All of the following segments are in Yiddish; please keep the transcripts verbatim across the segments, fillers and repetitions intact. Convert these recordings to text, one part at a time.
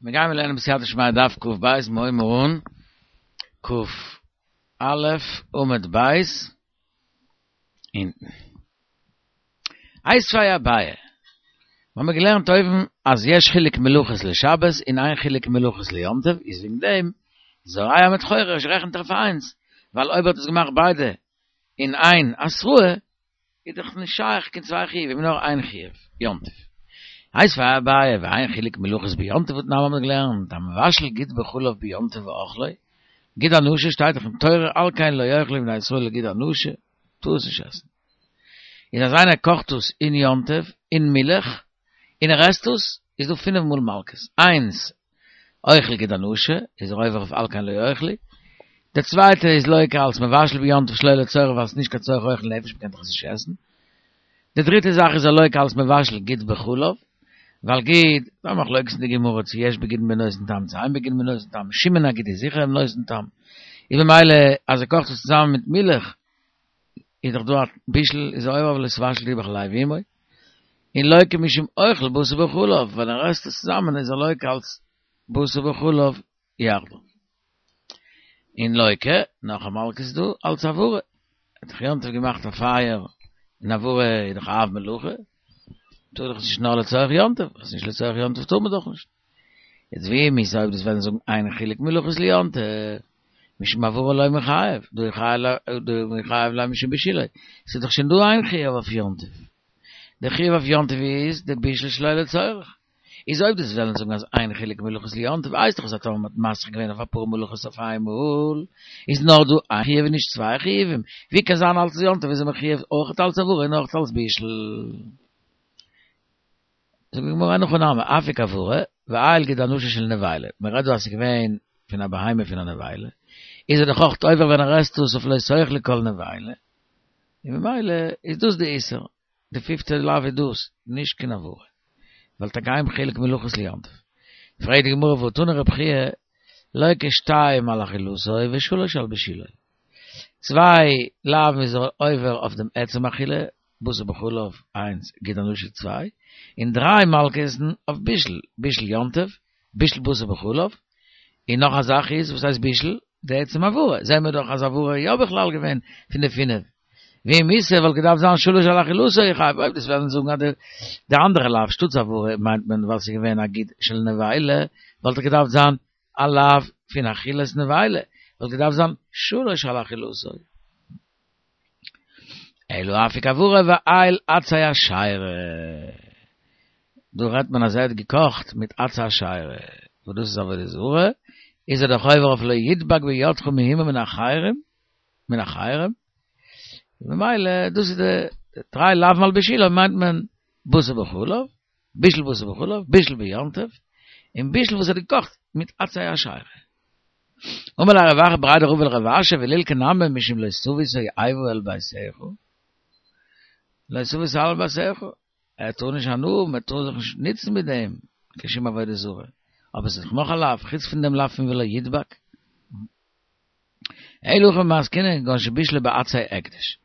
מיר גייען לערנען בסייעתא דשמיא דף קוף בית מוים און קוף א' עמוד בית אונטן. איתיביה אביי. מיר האבן געלערנט אויבן אז יש חילוק מלאכות לשבת און אין חילוק מלאכות ליום טוב, איז וועגן דעם זורע מיט חורש רעכנט ער פאר איינס, ווייל אויב האט עס געמאכט ביידע אין איין התראה, איז דאך נישט שייך קיין צוויי חיובים, נאר איין חיוב, יום טוב. איתיביה אביי, ואין חילוק מלאכות ביום טוב והתנן האבן מיר געלערנט, המבשל גוד בחלב ביום טוב ואכלו, גיד הנשה שטייט דאך אין תורה על כן לא יאכלו בני ישראל גיד הנשה, טאר עס נישט עסן. איז אז איינער קאכט עס אין יום טוב, אין מילך, און ער עסט עס, איז דא פינף מאל מלקות. איינס, אוכל גיד הנשה, איז ער עובר אויף על כן לא יאכלו. דער צווייטע איז לוקה אלס מבשל ביום טוב שלא לצורך ווייל עס איז נישט קיין צורך אוכל נפש, מ'קען דאך עס נישט עסן. די דריטע זאך איז ער לוקה אלס מבשל גיד בחלב, ווייל גיד, דא מחלוקת אין די גמרא צו יש בגיד בנותן טעם צו אין בגיד בנותן טעם, שמן הגיד איז זיכער נותן טעם, איז במילא אז ער קאכט עס צוזאמען מיט מילך, איז דאך דא א בישול, איז ער עובר אויף לא תבשל גדי בחלב אמו, און לוקה משום אוכל בשר בחלב, ווען ער עסט עס צוזאמען איז ער לוקה אלס בשר בחלב יחדיו. און לוקה, נאך א מלקות איז דא, אלס הבערה. ער האט דאך יום טוב געמאכט א פייער, און הבערה איז דאך אב מלאכה, טאר דאך נישט נאר לצורך יום טוב, אז נישט לצורך יום טוב טאר מען דאך נישט. יעצט ואי מיתא אויב דו'סט וועלן זאגן אין חילוק מלאכות ליום טוב, משום הבערה לא מיחייב, דהא מיחייב ליה משום בישולו, ס'איז דאך שוין דא איין חיוב אויף יום טוב. די חיוב אויף יום טוב איז די בישול שלא לצורך. איז אויב דו'סט וועלן זאגן אז אין חילוק מלאכות ליום טוב הייסט דאך אז טאמער מ'האט מסכים געווען אויף אפאר מלאכות אויף איינמאל איז נאר דא איין חיוב און נישט צוויי חיובים, ווי קען זיין אלס יום טוב איז ער מחויב אויך אלס הבערה און אויך אלס בישול? זאגט די גמרא אין הכי נמי אפיק הבערה ועייל גיד הנשה של נבילה, מען רעדט דא אז ס'איז געווען פון א בהמה פון א נבילה, איז ער דאך אויך עובר ווען ער עסט עס אויף לא תאכלו כל נבילה, און ממילא איז דאס די איסור. די פיפטע לאו איז דאס, נישט קיין הבערה. ווייל טאקע אין חילוק מלאכות ליום טוב. פרעגט די גמרא והא תני רבי חייא, לוקה שתיים על אכילתו ושלש על בישולו. צוויי לאווין איז ער עובר אויף דעם עצם אכילה, בשר בחלב איינס, גיד הנשה צוויי, און דריי מלקות'ן אויף בישול, בישול יום טוב, בישול בשר בחלב, און נאך א זאך איז, וואס הייסט בישול? די עצם הבערה, זעהן מיר דאך אז הבערה איז יא בכלל געווען פון די פינף. ואי מיתא וואלט געדארפט זיין שלש על אכילתו יחייב, אויב דו'סט וועלן זאגן אז די אנדערע לאו שטאטס הבערה מיינט מען ווייל ס'איז געווען א גיד של נבילה, וואלט דאך געדארפט זיין א לאו פון אכילת נבילה, וואלט געדארפט זיין שלש על אכילתו. אלא אפיק הבערה ועייל עצי אשירה. דא רעדט מען אז ער האט געקאכט מיט עצי אשירה, וואס דאס איז עבודה זרה, איז ער דאך עובר אויף לא ידבק בידך מהומה מן החרם, מן החרם, ממילא דאס איז די דריי לאווין על בישולו מיינט מען בשר בחלב, בישול בשר בחלב, בישול ביום טוב, און בישול וואס ער האט געקאכט מיט עצי אשירה. אמר ליה רב אחא בריה דרבא לרב אשי ולילקי נמי משום לא תביא תועבה אל ביתך, לא תביא תועבה אל ביתך, ער טאר נישט הנאה האבן, ער טאר זיך נישט נוצן מיט דעם, קיין שום עבודה זרה, אבער עס איז דאך נאך א לאו, חוץ פון דעם לאו פון ולא ידבק. אלא הכא במאי עסקינן כגון שבישלו בעצי הקדש,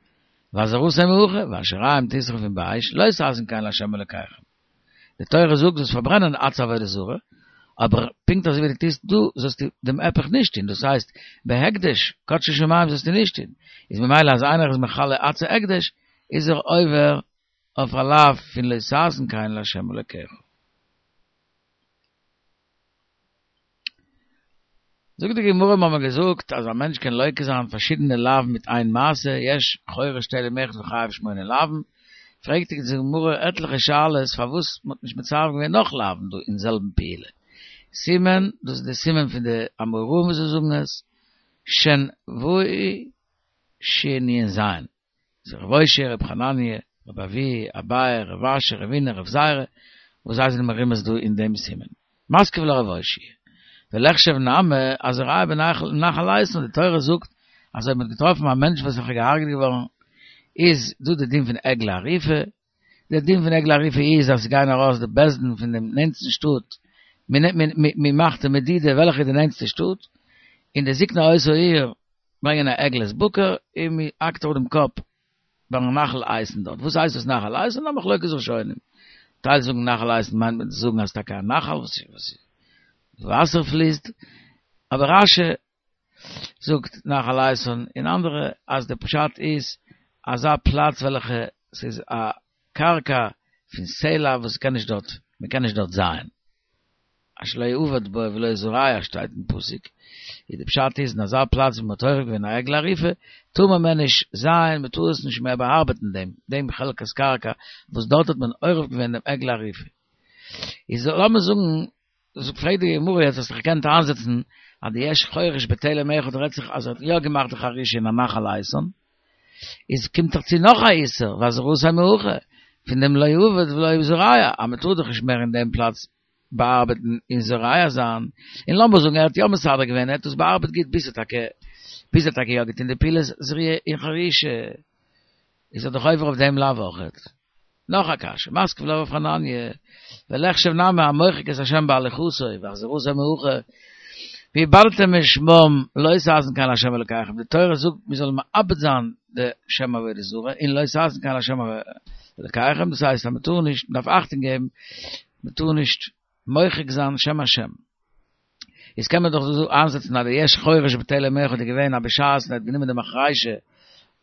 ואזהרתו מהכא, והשיריים תשרפון באש, לא תעשון כן לה' אלקיכם. די תורה זאגט זאלסט פארברענען עצי עבודה זרה, אבער פונקט אזוי ווי דו טוסט דא זאלסטו דעם היפך נישט טון, דאס הייסט בהקדש, קדשי שמים זאלסטו נישט טון, איז ממילא אז איינער איז מחלל עצי הקדש איז ער עובר אויף א לאו פון לא תעשון כן לה' אלקיך. זאגט די גמרא מיר האבן געזאגט אז א מענטש קען לוקה זיין פארשידענע לאווין מיט איין מעשה, יש חורש תלם אחד וחייב שמונה לאווין, פרעגט די גמרא עטליכע שאלות פארוואס מען האט נישט מצרף געווען נאך לאווין דא אין זעלבן פעולה, סימן, דאס איז די סימן פון די אמוראים וואס זיי זאגן עס, שן ואו שין נון זיין. רב אושעיא, רב חנניה, רב אבהו, אביי, רב אשי, רבינא, רב זירא, וואס זיי זענען מרומז דא אין דעם סימן. מתקיף לה רב אושעיא. וליחשב נמי הזורע בנחל איתן, די תורה זאגט אז אויב מען האט געטראפן א מענטש וואס איז געהארגעט געווארן, איז דא די דין פון עגלה ערופה, די דין פון עגלה ערופה איז אז ס'גייען ארויס די בית דין פון דעם נענטסטן שטאט, מען מאכט די מדידה וועלכע איז די נענטסטע שטאט, און די זקני אותה העיר ברענגען א עגלת בקר און מען האקט אראפ דעם קאפ ביים נחל איתן דארט. וואס הייסט דאס נחל איתן? א מחלוקת ראשונים. טייל זאגן נחל איתן מיינט מען צו זאגן אז טאקע א נחל וואס איז וואסער פליסט, אבער רש"י זאגט נחל איתן און אנדערע אז די פשט איז אזא פלאץ וועלכע ס'איז א קרקע פון סלע וואס קען נישט דארט, מ'קען נישט דארט זייען. אשר לא יעבד בו ולא יזרע שטייט אין פסוק, איז די פשט איז אין אזא פלאץ ווי מ'האט עורף געווען א עגלה ערופה, טאר מען מער נישט זייען, מ'טאר עס נישט מער באארבעטן דעם דעם חלקת קרקע וואס דארט האט מען עורף געווען דעם עגלה ערופה. איז לאמיר זאגן, פרעגט די גמרא יעצט האסט דאך געקענט איינזעצן אז די יש חורש בתלם אחד רעדט זיך אז ער האט יא געמאכט די חרישה אין א נחל איתן, איז קומט דאך צו נאך א איסור, והזרתו מהכא, פון דעם לא יעבד ולא יזרע, אז מ'טאר דאך נישט מער אין דעם פלאץ באארבעטן און זורע זיין, און לאמיר זאגן ער האט יא מסדר געווען, ער האט עס באארבעט גוט ביז ער טאקע ביז ער האט טאקע יא געטון די פעולת זריעה און חרישה, איז ער דאך עובר אויף דעם לאו אויכעט. נאך א קשיא, מתקיף לה רב חנניה, וליחשב נמי המוחק את השם בהליכתו, והחזירתו מהכא, ואבדתם משמם לא תעשון כן להשם אלקיכם, די תורה זאגט מיר זאלן מאבד זיין די שם עבודה זרה, און לא תעשון כן להשם אלקיכם, דאס הייסט אז מען טאר נישט, מען דארף אכטונג געבן, מען טאר נישט מוחק זיין שם השם. איז קען מען דאך דא איינזעצן אז די יש חורש בתלם אחד איז געווען אז בשעת ער האט גענומען די מחרישה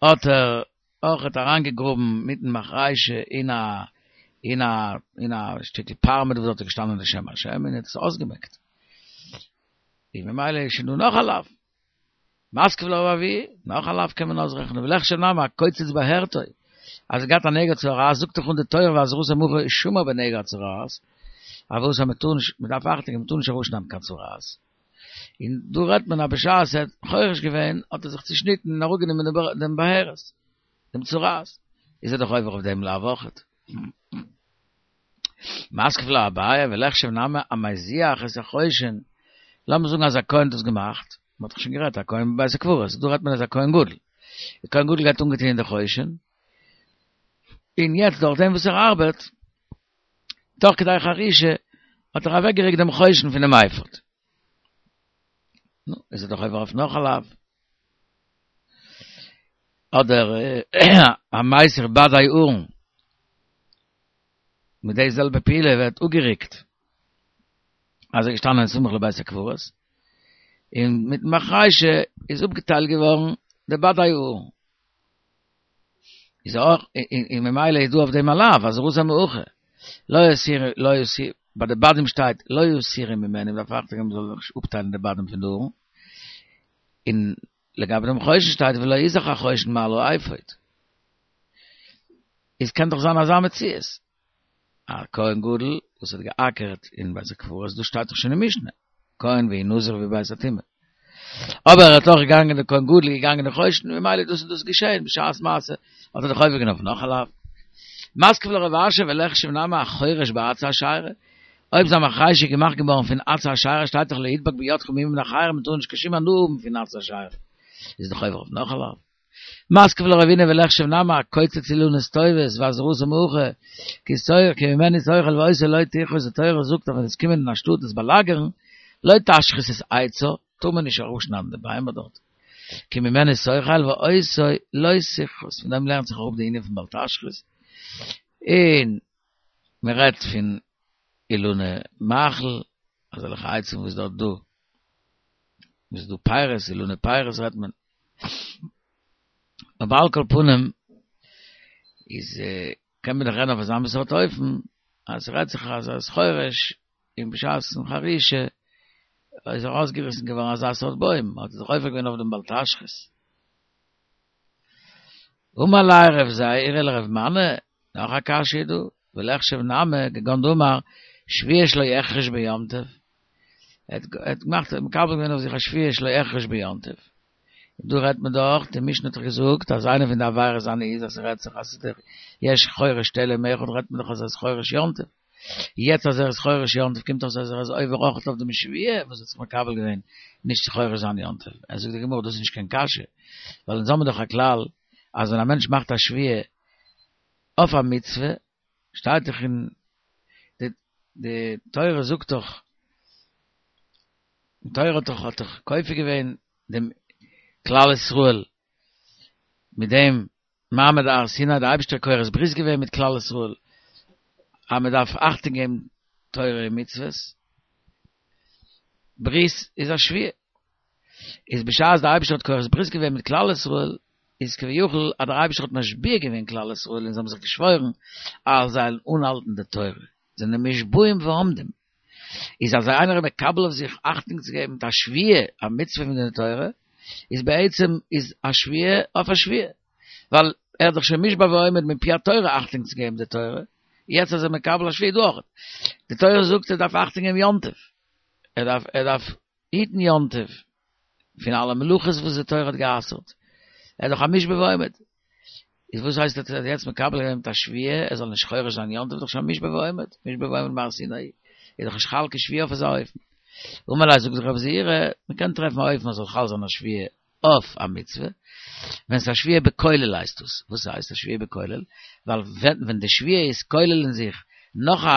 האט ער אויכעט אריינגעגראבן מיטן מחרישה אין א אין א אין א שטיקל פארמעט וואס דארט איז געשטאנען די שם השם און האט עס אויסגעמעקט. און ממילא איז שוין דא נאך א לאו. מתקיף לה רב אבהו, נאך א לאו קען מען אויסרעכענען, וליחשב נמי הקוצץ בהרתו, אז ער געהאט א נגע צרעת, זאגט דאך אן די תורה והזרתו מהכא איז שמור בנגע צרעת, אבער וואס אז מען טאר נישט, מען דארף אכטונג געבן מען טאר נישט ארויסשניידן קיין צרעת. און דא רעדט מען אז בשעת ער האט חורש געווען האט ער זיך צושניטן און אראפגענומען דעם בהרת, דעם צרעת, איז ער דאך עובר אויף דעם לאו אויכעט. מתקיף לה אביי וליחשב נמי המזיח את החושן, לאמיר זאגן אז א כהן האט דאס געמאכט, מען האט דאך שוין גערעדט א כהן בבית הקברות, דא רעדט מען אז א כהן גדול, די כהן גדול גייט אנגעטון אין די חושן, און יעצט דורך דעם וואס ער ארבעט, תוך כדי חרישה, האט ער אוועקגעריקט דעם חושן פונעם אפוד. נו, איז ער דאך עובר אויף נאך א לאו. אדער המסיר בדי ארון, מיט די זעלבע פעולה ווערט אפגעריקט, אז ער איז געשטאנען סמוך לבית הקברות, און מיטן מחרישה איז אפגעטיילט געווארן די בדי ארון. איז אויך, און ממילא איז דא אויף דעם א לאו, והזרתו מהכא. לא יסיר, לא יסיר, ביי די בדים שטייט לא יסורו ממנו, מ'דארף אכטונג געבן מ'זאל נישט אפטיילן די בדים פון די ארון. און לגבי דעם חושן שטייט ולא יזח החושן מעל האפוד. איז קען דאך זיין אזא מציאות. א כהן גדול וואס האט געאקערט אין בית הקברות, דאס שטייט דאך שוין אין משנה, כהן והוא נזיר והוא בבית הטומאה. אבער ער האט אויך געגאנגען דער כהן גדול איז געגאנגען אין חושן, ממילא דאס און דאס געשען בשעת מעשה, האט ער דאך עובר געווען אויף נאך א לאו. מתקיף לה רב אשי וליחשב נמי החורש בעצי אשירה, אויב זיין מחרישה איז געמאכט געווארן פון עצי אשירה שטייט דאך לא ידבק בידך מאומה מן החיים, מען טאר נישט קיין שום הנאה האבן פון עצי אשירה, איז דאך עובר אויף נאך א לאו. מתקיף לה רבינא וליחשב נמי הקוצץ אילנות טובות והזרתו מהכא כי תאכל כי ממנו תאכל ואותו לא תכרות די תורה זאגט אז ווען עס קומען אין א שטאט עס באלאגערן לא תשחית את עצה טאר מען נישט אראפשניידן די ביימער דארט כי ממנו תאכל ואותו לא תכרות פון דעם לערנט זיך אראפ די ענין פון בל תשחית און מען רעדט פון אילני מאכל אזעלכע עצים וואס דארט דא וואס דא פירות אילני פירות רעדט מען אבער על כל פנים איז קען מען דאך רעדן אויף אזא מין סארט אופן אז ס'רעדט זיך אז ער איז חורש און בשעת'ן חרישה איז ארויסגעריסן געווארן אזא סארט בוים האט ער זיך עובר געווען אויף דעם בל תשחית. אמר ליה רב זירא לרב מני, נאך א קשיא איז דא, וליחשב נמי כגון דאמר שבועה שלא אחרוש ביום טוב, ער האט געמאכט מקבל געווען אויף זיך א שבועה שלא אחרוש ביום טוב, און דא רעדט מען דאך, די משנה האט דאך געזאגט אז איינע פון די עבירות זיינע איז אז ס'רעדט זיך אז ס'איז דער יש חורש תלם אחד רעדט מען דאך אז ער איז חורש יום טוב, יעצט אז ער איז חורש יום טוב קומט אויס אז ער איז עובר אויך אויף דעם שבועה וואס ער האט זיך מקבל געווען נישט צו חורש זיין יום טוב, ער זאגט די גמרא דאס איז נישט קיין קשיא, ווייל אונז האבן דאך א כלל אז ווען א מענטש מאכט א שבועה אויף א מצוה שטייט דאך אין די די תורה זאגט דאך די תורה האט דאך האט דאך כופה געווען דעם כלל ישראל מיט דעם מעמד הר סיני די אייבערשטער כורת ברית געווען מיט כלל ישראל אז מען דארף אכטונג געבן תורה און מצוות ברית איז א שבועה. איז בשעת דער אייבערשטער האט כורת ברית געווען מיט כלל ישראל, איז כביכול אז דער אייבערשטער האט משביע געווען כלל ישראל און זיי האבן זיך געשוואוירן אז זיי וועלן אנהאלטן די תורה, זענען מושבעים ועומדים. איז אז איינער איז מקבל אויף זיך אכטונג צו געבן מיט א שבועה, א מצוה פון די תורה, איז בעצם איז א שבועה אויף א שבועה. ווייל ער האט דאך שוין מושבע ועומד מפי התורה אכטונג צו געבן די תורה, יעצט איז ער מקבל א שבועה דא אויך. די תורה זאגט ער דארף אכטונג געבן יום טוב. ער דארף ער דארף היטן יום טוב פון אלע מלאכות וואס די תורה האט גע'אסר'ט. ער איז דאך א מושבע ועומד. איז וואס הייסט ער האט יעצט מקבל געווען מיט א שבועה ער זאל נישט חורש זיין יום טוב איז דאך שוין מושבע ועומד, מושבע ועומד מהר סיני איז דאך נישט חל קיין שבועה אויף אזא אופן. אמר ליה זאגט רב זעירא, מען קען טרעפן א אופן אז זאל חל זיין א שבועה אויף א מצוה, ווען ס'איז א שבועה בכולל הייסט דאס, וואס הייסט א שבועה בכולל? ווייל ווען ווען די שבועה איז כולל אין זיך נאך א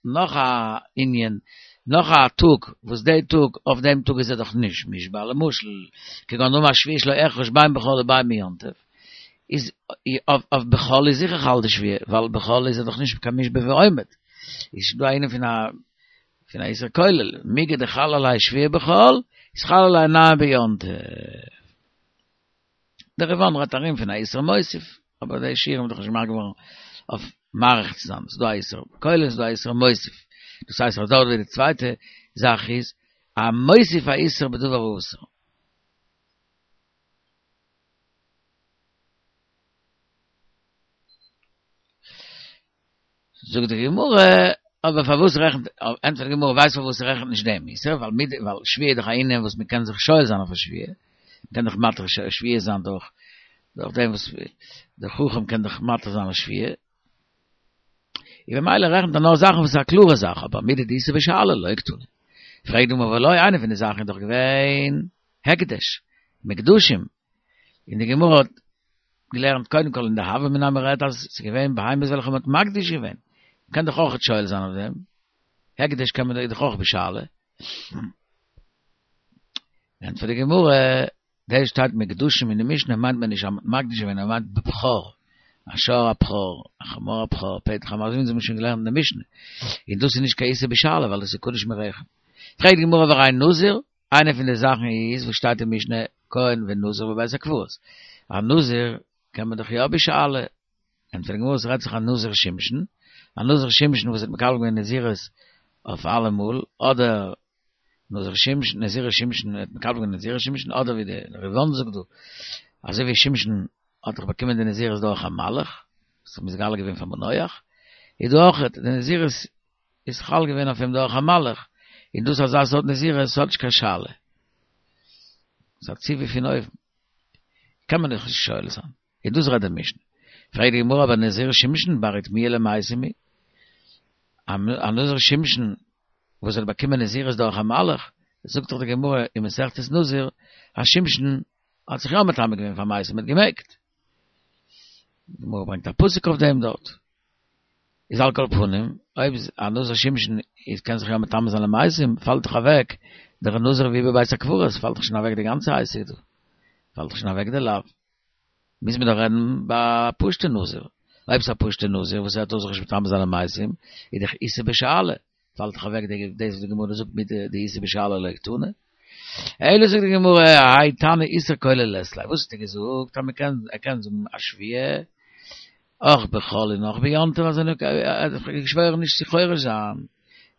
נאך א ענין, נאך א טאג, וואס די טאג, אויף דעם טאג איז ער דאך נישט מושבע, למשל, כגון דאמר שבועה שלא אחרוש בין בחול ובין ביום טוב, איז אויף בחול איז זיכער חל די שבועה, ווייל בחול איז ער דאך נישט קיין מושבע ועומד, איז דא א ענין פון א פון א איסור כולל, מיגו דחל עליה שבועה בחול, איז חל עליה נמי ביום טוב. דער ריב"ן רעדט ארום פון א איסור מוסיף, אבער די שיעורים איז דאך נישט געמאכט געווארן אויף מאריך צו זיין, ס'איז דא א איסור כולל, ס'איז דא א איסור מוסיף, דאס הייסט אז דארט ווי די צווייטע זאך איז א מוסיף א איסור בדבר האסור. זאגט די גמרא, אבער פארוואס רעכנט, ענטפערט די גמרא, ווייסט פארוואס רעכנט נישט דעם איסור, ווייל מיט, ווייל שבועה איז דאך א ענין וואס מען קען זיך שואל זיין אויף א שבועה, מען קען דאך מתיר שבועה זיין דורך, דורך דעם וואס דער חכם קען דאך מתיר זיין א שבועה, און במילא רעכנט ער נאר זאכן וואס איז א קלארע זאך, אבער מידי דאיתא בשאלה לא קתני. פרעגט די גמרא והא לא, איינע פון די זאכן איז דאך געווען הקדש, מוקדשים, און די גמרא האט געלערנט קודם כל אין די הוה אמינא מ'רעדט אז ס'איז געווען בהמות וועלכע מ'האט מקדיש געווען, מ'קען דאך אויך שואל זיין אויף דעם, הקדש קען מען דאך אויך בשאלה. ענטפערט די גמרא, דאס שטייט מוקדשים אין די משנה מיינט מען נישט אז מ'האט מקדיש געווען, נאר מ'מיינט בבכור, א שור הבכור, א חמור הבכור, פטר חמור, אזוי ווי אונז האבן שוין געלערנט אין די משנה, און דאס איז נישט קיין איסור בשאלה ווייל דאס איז קדוש מרחם. פרעגט די גמרא והרי נזיר, איינע פון די זאכן איז וואס שטייט אין משנה כהן ונזיר בבית הקברות, א נזיר קען מען דאך יא בשאלה, ענטפערט די גמרא ס'רעדט זיך א נזיר שמשון, א נזיר שמשון וואס האט מקבל געווען נזירות אויף אלעמאל, אדער נזיר שמשון, נזיר שמשון האט מקבל געווען נזירות שמשון, אדער ווי די ריב"ן זאגט דא, אזוי ווי שמשון האט דאך באקומען די נזירות דורך א מלאך, וואס האט מתגלה געווען פאר מנוח, איז דא אויך די נזירות איז חל געווען אויף אים דורך א מלאך, און דאס אזא סארט נזירות האט נישט קיין שאלה. ס'איז א ציווי פון אויבן. קען מען דאך נישט שואל זיין. און דאס רעדט די משנה. פרעגט די גמרא אבער נזיר שמשון בר איטמויי למתים הוא? א נזיר שמשון וואס האט באקומען נזירות דורך א מלאך, זאגט דאך די גמרא אין מסכת נזיר אז שמשון האט זיך יא מטמא געווען פאר מתים, מ'האט געמעגט. די גמרא ברענגט א פסוק אויף דעם דארט. איז על כל פנים, אויב א נזיר שמשון איז קען זיך יא מטמא זיין למתים, פאלט דאך אוועק דער נזיר והוא בבית הקברות, פאלט דאך שוין אוועק די גאנצע עסק דא, פאלט דאך שוין אוועק די לאו. מוז מען דאך רעדן ביי א פשוטע נזיר, אויב ס'איז א פשוטע נזיר וואס ער טאר זיך נישט מטמא זיין למתים, איז דאך איתא בשאלה, פאלט דאך אוועק דאס וואס די גמרא זאגט מיט דאיתא בשאלה לא קתני. אלא זאגט די גמרא, האי תנא איסור כולל לית ליה, וואס האט ער געזאגט אז מ'קען ער קען זאגן א שבועה אויך בחול און אויך ביום טוב אז ער האט געשוואוירן נישט צו חורש זיין,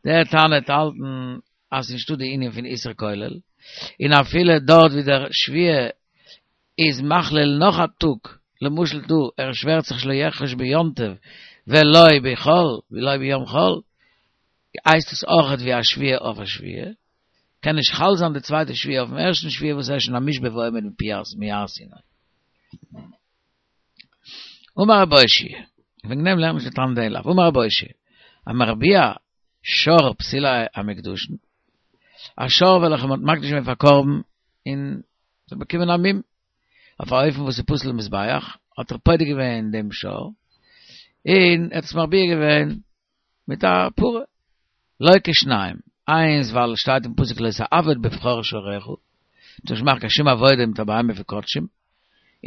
דער תנא האט האלטן אז ס'איז נישטא די ענין פון איסור כולל, און אפילו דארט ווי דער שבועה איז מכליל נאך א טאג, למשל דא ער שווערט זיך שלא יחרוש ביום טוב ולא בחול ולא ביום חול, הייסט עס אויכעט ווי א שבועה אויף א שבועה, קען נישט חל זיין די צווייטע שבועה אויפן ערשטן שבועה וואס ער איז שוין א מושבע ועומד מהר סיני. אמר רב אושעיא, וועגן דעם לערנט נישט די תנא דעם לאו, אמר רב אושעיא, המרביע שור פסולי המוקדשין, א שור וועלכע מען האט מקדיש געווען פאר קרבן און ס'האט באקומען א מום, אויף א אופן וואס איז פסול למזבח, האט ער פודה געווען דעם שור, און ער האט עס מרביע געווען מיט א פרה. לוקה שניים, איינס ווייל עס שטייט אין פסוק לא תעבוד בבכור שורך, מ'טאר נישט מאכן קיין שום עבודה מיט א בהמה פון קדשים,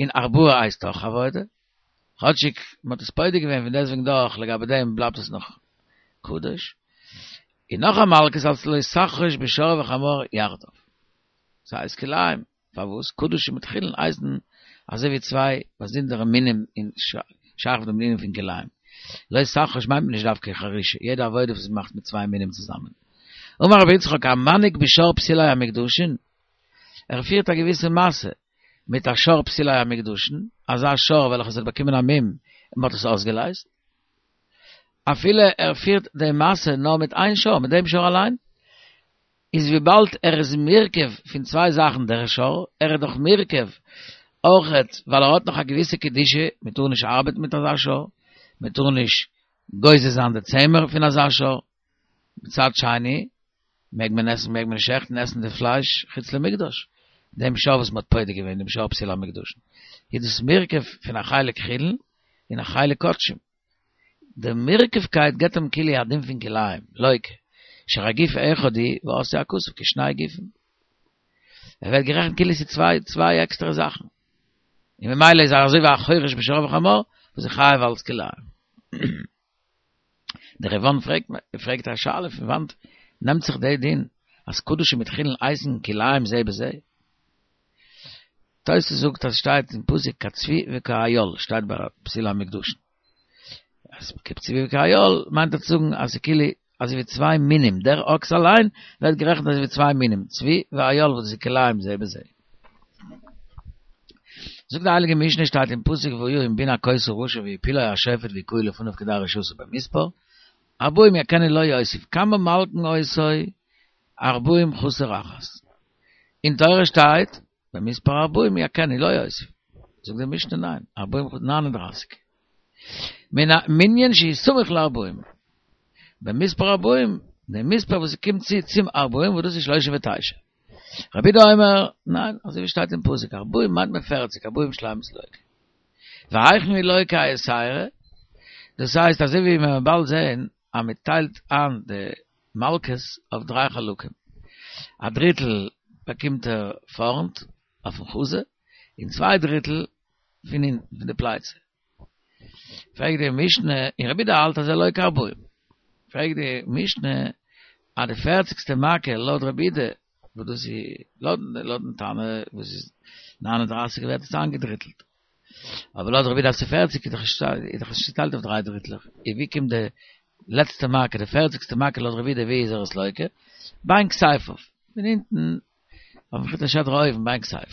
און ארבעה הייסט אויך עבודה, כאטשיג מ'האט עס פודה געווען פון דעסטוועגן דאך לגבי דעם בלייבט עס נאך קדוש, און נאך א מלקות אלס לא תחרוש בשור וחמור יחדיו. ס'הייסט כלאים, פארוואס? קדשים מיט חולין הייסן אזוי ווי צוויי באזונדערע מינים אין שייך דעם ענין פון כלאים. לא תחרוש מיינט מען נישט דווקא חרישה, יעדע עבודה וואס מ'מאכט מיט צוויי מינים צוזאמען. אמר רבי יצחק, המנהיג בשור פסילי המוקדשין, ער פירט א געוויסע משא מיט א שור פסילי המוקדשין, אזא שור וועלכעס האט באקומען א מום און מ'האט עס אויסגעלייזט. אפילו ער פירט די משא נאר מיט איין שור, מיט דעם שור אליין, איז וויבאלד ער איז מורכב פון צוויי זאכן דער שור, ער איז דאך מורכב אויכעט ווייל ער האט נאך א געוויסע קדושה, מען טאר נישט ארבעטן מיט אזא שור, מען טאר נישט גוזז זיין די צמר פון אזא שור, מצד שני מעג מען עסן מעג מען שעכטן עסן די פלייש חוץ למקדש, דעם שור וואס מען האט פודה געווען דעם שור פסילי המוקדשין, איז דאס מורכב פון א חלק חולין און א חלק קדשים. די מורכבקייט געבט אים כאילו א דין פון כלאים, לוקה, שהרי גוף אחד הוא ועשאו הכתוב כשני גופים. ער ווערט גערעכנט כאילו ס'איז צוויי צוויי עקסטערע זאכן. און ממילא איז ער אזוי ווי א חורש בשור וחמור, וואס איז חייב אלס כלאים. דער ריב"ן פרעגט פרעגט א שאלה פון וואנט נעמט זיך די דין אז קדשים מיט חולין הייסן כלאים זה בזה? תוס' זאגט אז שטייט אין פסוק כצבי וכאיל שטייט ביי פסילי המוקדשין. אז כצבי וכאיל מיינט ער צו זאגן אז ס'כאילו אזוי ווי צוויי מינים, דער אקס אליין ווערט גערעכנט אזוי ווי צוויי מינים, צבי ואיל וואס איז כלאים זה בזה. זאגט די הייליגע משנה שטייט אין פסוק והיה אם בן הכות הרשע והפילו השופט והכהו לפניו כדי רשעתו במספר ארבעים יכנו לא יוסיף כמה מלקין אותו ארבעים חסר אחת. אין תורה שטייט במספר ארבעים יכנו לא יוסיף. זאגט די משנה ניין, ארבעים נײַן און דרײַסיק. מנין שהוא סמוך לארבעים. במספר ארבעים, די מספר וואס קומט צו צום ארבעים וואס דאס איז שלושים ותשע. רבי יהודה אומר, ניין, אזוי ווי שטייט אין פסוק, ארבעים מיינט מען פֿערציק, ארבעים שלימות לוקה. והיכן הוא לוקה היתירא? דאס הייסט אזוי ווי מען וועט באלד זען אז מען טיילט איין די מלקות אויף דריי חלקים. א דריטל באקומט ער פארנט אויפן חזה, און צוויי דריטל פון הינטן פון די פלייצע. פרעגט די משנה, און רבי יהודה האלט אז ער לוקה ארבעים. פרעגט די משנה, אז די פערציגסטע מכה לויט רבי יהודה, וואס דאס איז לויטן תנא וואס איז נײַן און דרײַסיק ווערט עס איינגעדריטלט. אבער לויט רבי יהודה אז ס'איז פֿערציק איז דאך נישט צוטיילט אויף דריי דריטלעך, און ווי קומט די לעצטע מכה, די פערציגסטע מכה לויט רבי יהודה ווי איז ער עס לוקה? בין כתפיו, פון אונטן אויפן חוט השדרה אויבן בין כתפיו.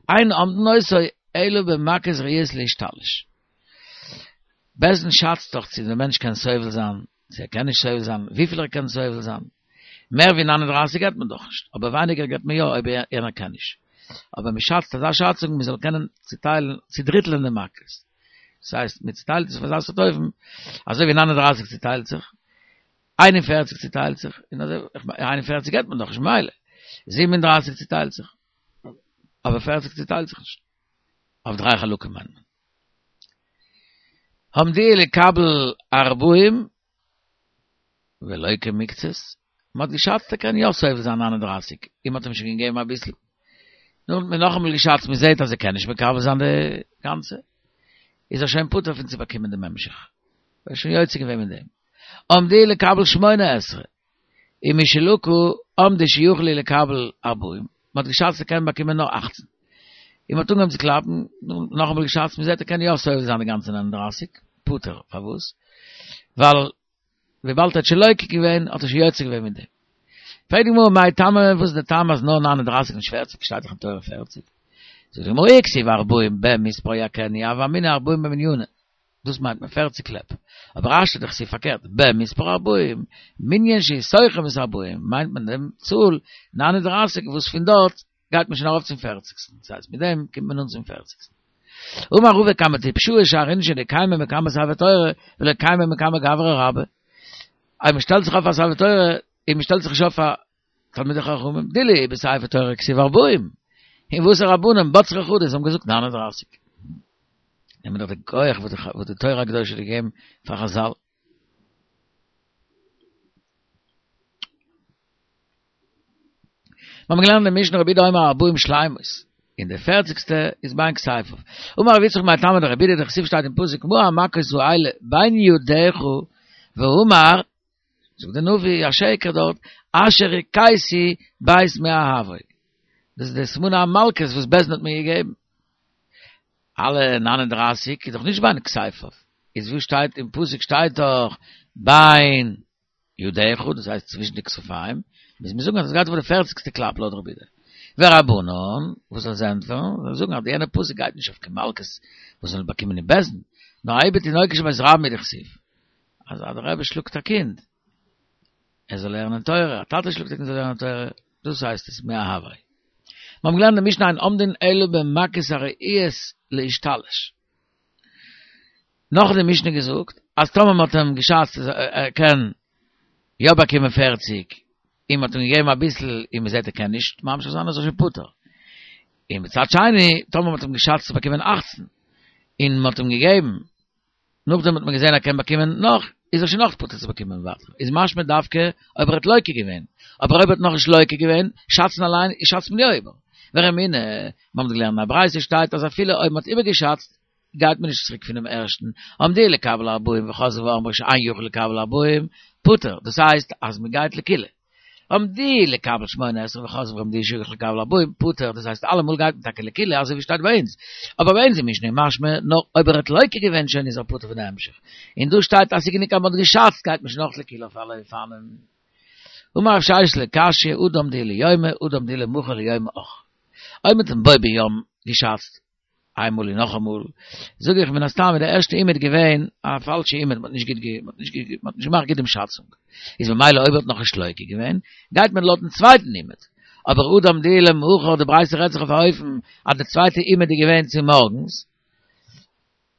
אין אומדין אותו אלא במכות ראויות להשתלש. בית דין שאצט דאך צו דער מענטש קען סובל זיין, צו ער קען נישט סובל זיין, וויפיל ער קען סובל זיין. מער ווי נײַן און דרײַסיק געבט מען דאך נישט, אבער ווייניגער געבט מען יא אויב יענער קען נישט. אבער מען שאצט אזא שאצונג מען זאל קענען צוטיילן, צודריטלען די מכות. דאס הייסט, מען צוטיילט עס אויף אזא סארט אופן, אזוי ווי נײַן און דרײַסיק צוטיילט זיך, איין און פֿערציק צוטיילט זיך, און אזוי, איין און פֿערציק געבט מען דאך נישט ממילא, זיבן און דרײַסיק צוטיילט זיך, אבער פֿערציק צוטיילט זיך נישט. אויף דריי חלקים מיינט מען. אמדוהו לקבל ארבעים ולוקה מקצת, מען האט געשאצט ער קען יא סובל זיין נײַן און דרײַסיק, און מען האט אים שוין געגעבן אביסל. נו האט מען נאכאמאל געשאצט מען זעט אז ער קען נישט מקבל זיין די גאנצע, איז ער שוין פטור פון צו באקומען דעם המשך, ער איז שוין יוצא געווען מיט דעם. אמדוהו לקבל שמונה עשרה, ומשלקה אמדוהו שיכול לקבל ארבעים, מען האט געשאצט ער קען באקומען נאר אַכצן, און מען האט אנגעהויבן צו קלאפן, נאכאמאל געשאצט, מען זעט ער קען יא סובל זיין די גאנצע נײַן און דרײַסיק, פטור, פארוואס? ווייל וויבאלד ער האט שוין לוקה געווען האט ער שוין יוצא געווען מיט דעם. פרעגט די גמרא מאי טעמא וואס איז די טעם אז נאר נײַן און דרײַסיק נישט פֿערציק, שטייט דאך אין תורה פֿערציק. זאגט די גמרא אי כתיב ארבעים במספר יכנו הוה אמינא ארבעים במניינא, דאס מיינט מען פֿערציק קלעפ, אבער השתא דכתיב פארקערט במספר ארבעים, מנין שהוא תוחם את ארבעים, מיינט מען דעם צאל נײַן און דרײַסיק וואס פון דארט גייט מען שוין ארויף צום פערציגסטן, דאס הייסט מיט דעם קומט מען אן צום פערציגסטן. אמר רבא כמה טפשאי שאר אינשי דקיימי מקמי ספר תורה ולא קיימי מקמי גברא רבה. אויב מען שטעלט זיך אויף א ספר תורה און מען שטעלט זיך נישט אויף פאר תלמידי חכמים, דאילו בספר תורה כתיב ארבעים, און והתם רבנן בצרי חדא זיי האבן געזאגט נײַן און דרײַסיק. נעמען דאך די כח וואס די תורה הקדושה האט געגעבן פאר חזל. מיר האבן געלערנט אין משנה רבי יהודה אומר ארבעים שלימות, און די פערציגסטע איז בין כתפיו. אמר רבי יצחק מאי טעמא דרבי יהודה דכתיב שטייט אין פסוק מה המכות האלה בין ידך ואמר זאגט דער נביא, א שקר דארט, אשר הכיתי בית מאהבי. דאס איז די סימני המלקות וואס בית דין האט מיר געגעבן. אלע נײַן און דרײַסיק איז דאך נישט בין כתפיו. איז וואו שטייט אין פסוק שטייט דאך בין ידיך, דאס הייסט צווישן די כתפיים, מוז מען זאגן אז עס גייט אויף די פערציגסטע קלאפ לויט רבי יהודה. ורבנן, וואס זאל זיי ענטפערן? זאל זאגן אז די יענע פסוק גייט נישט אויף קיין מלקות וואס זאל באקומען אין בית דין, נאר האי בתינוקות של בית רבן הוא דכתיב. אז דער רבי שלאגט א קינד, ער זאל לערנען תורה, א טאטע שלאגט א קינד זאל לערנען תורה, דאס הייסט עס מאהבי. מיר האבן געלערנט אין משנה אין עומדין אלא במכות הראויות להשתלש. נאך האט די משנה געזאגט אז טאמער מען האט אים געשאצט אז ער קען יא באקומען פֿערציק, און מען האט אים געגעבן אביסל און מען זעט ער קען נישט ממשיך זיין איז ער שוין פטור. און מצד שני טאמער מען האט אים געשאצט צו באקומען אַכצן און מען האט אים געגעבן נאכדעם האט מען געזען ער קען באקומען נאך, איז ער שוין נאך פטור צו באקומען ווייטער. איז משמע דווקא אויב ער האט לוקה געווען. אבער אויב ער האט נאכנישט לוקה געווען, שאצן אליין, שאצט מען יא איבער. ורמינהי, מיר האבן געלערנט אין א ברייתא שטייט אז אפילו אויב מען האט איבערגעשאצט, גייט מען נישט צוריק פונעם ערשטן, אמדוהו לקבל ארבעים וחזרו ואמרו שאין יכול לקבל ארבעים, פטור, דאס הייסט אז מען גייט לקולא. אמדוהו לקבל שמונה עשרה וחזרו ואמדוהו שיכול לקבל ארבעים, פטור, דאס הייסט אלעמאל גייט מען טאקע לקולא אזוי ווי שטייט ביי אונז, אבער ביי אונז אין משנה איז משמע נאר אויב ער האט לוקה געווען שוין איז ער פטור פון די המשך, און דא שטייט אז ס'איז גענוג אז מ'האט געשאצט גייט מען שוין אויך לקולא אויף אלע אופנים. אמר רב ששת לא קשיא הא דאמדוהו ליומיה הא דאמדוהו למחר וליום אח. אויב מ'האט אים בו ביום געשאצט איינמאל און נאכאמאל, זאג איך מן הסתם איז די ערשטע אומד געווען א פאלשע אומד, מ'האט נישט גוט מ'האט נישט גוט מ'האט נישט געמאכט גוט דעם שאצונג, איז ממילא אויב ער האט נאכנישט לוקה געווען, גייט מען לויטן צווייטן אומד. אבער הא דאמדוהו למחר, די ברייתא רעדט זיך אויף א אופן אז די צווייטע אומד איז געווען צומארגנס,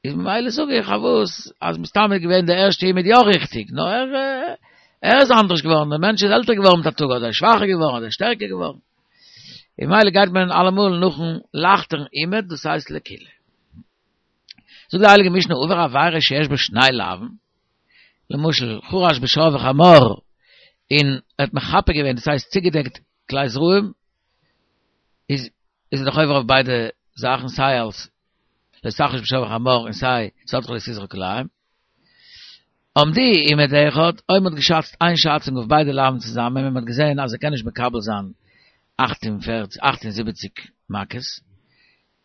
איז ממילא זאג איך פארוואס אז מסתם איז געווען די ערשטע אומד יא ריכטיג, נאר ער ער איז אנדערש געווארן, דער מענטש איז עלטער געווארן מיט א טאג, אדער שוואכער געווארן, אדער שטערקער געווארן. און ממילא גייט מען אלעמאל נאכן לייכטערן אומד, דאס הייסט לקולא. זאגט די הייליגע משנה עבר עבירה שיש בה שני לאווין, למשל חרש בשור וחמור, און ער האט מחפה געווען, דאס הייסט צוגעדעקט כלי זרעים, איז איז ער דאך עובר אויף ביידע זאכן סיי אלס לא תחרוש בשור וחמור און סיי שדך לא תזרע כלאים. אמדוהו אומד אחד, אויב מ'האט געשאצט איין שאצונג אויף ביידע לאווין צוזאמען און מ'האט געזען אז ער קען נישט מקבל זיין אַכט און פֿערציק אַכט און זיבעציק מכות,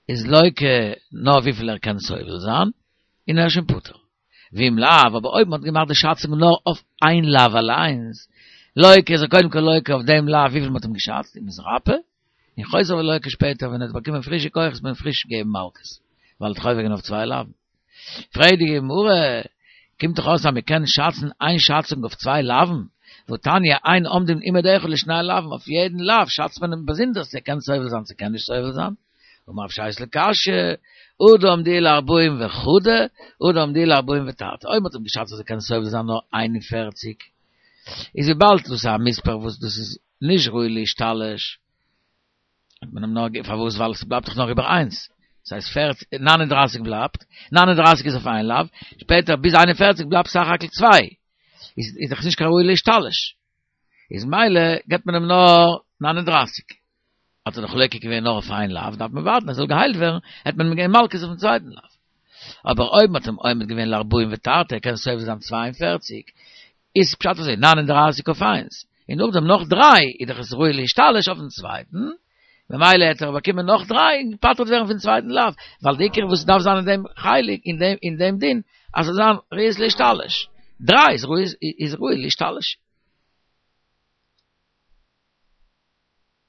איז לוקה נאר וויפיל ער קען סובל זיין, און ער איז שוין פטור. ואם לאו, אבער אויב מ'האט געמאכט די שאצונג נאר אויף איין לאו אליינס, לוקה איז ער קודם כל לוקה אויף דעם לאו וויפיל מ'האט אים געשאצט, און מתרפא, און חוזר ולוקה שפעטער ווען ער האט באקומען פרישע כוחות מען פריש געבן מלקות, ווייל ער האט עובר געווען אויף צוויי לאווין. פרעגט די גמרא, קומט דאך אויס אז מען קען שאצן איין שאצונג אויף צוויי לאווין, והתניא אין אומדין אומד אחד לשני לאווין, אויף יעדן לאו שאצט מען אים באזונדערס צו ער קען סובל זיין צו קען נישט סובל זיין. אמר רב ששת לא קשיא, הא דאמדוהו לארבעים וחדא, הא דאמדוהו לארבעים ותרתי, אויב מען האט אים געשאצט אז ער קען סובל זיין נאר איין און פֿערציק, איז וויבאלד דאס איז א מספר וואס דאס איז נישט ראוי להשתלש, האט מען אים נאר גע פארוואס ווייל עס בלייבט דאך נאך איבער איינס, דאס הייסט פֿערציק נײַן און דרײַסיק בלייבט, נײַן און דרײַסיק איז אויף איין לאו, שפעטער ביז איין און פֿערציק בלייבט סך הכל צוויי, איז איז דאך נישט קיין ראוי להשתלש, איז מילא געבט מען אים נאר נײַן און דרײַסיק, האט ער דאך לוקה געווען נאר אויף איין לאו, דארף מען ווארטן ער זאל געהיילט ווערן, העט מען אים געבן מלקות אויפן צווייטן לאו. אבער אויב מען האט אים אומד געווען לארבעים ותרתי, ער קען סובל זיין צוויי און פֿערציק, איז פשט אזוי, נײַן און דרײַסיק אויף איינס, און נאכדעם נאך דריי, איז דאך עס ראוי להשתלש אויפן צווייטן, ממילא העט ער באקומען נאך דריי און געפטר'ט ווערן פון צווייטן לאו, ווייל די עיקר וואס דארף זיין אין דעם חלק, אין דעם אין דעם דין, אז ס'זאל זיין ראויות להשתלש. דריי איז ראוי איז ראוי להשתלש.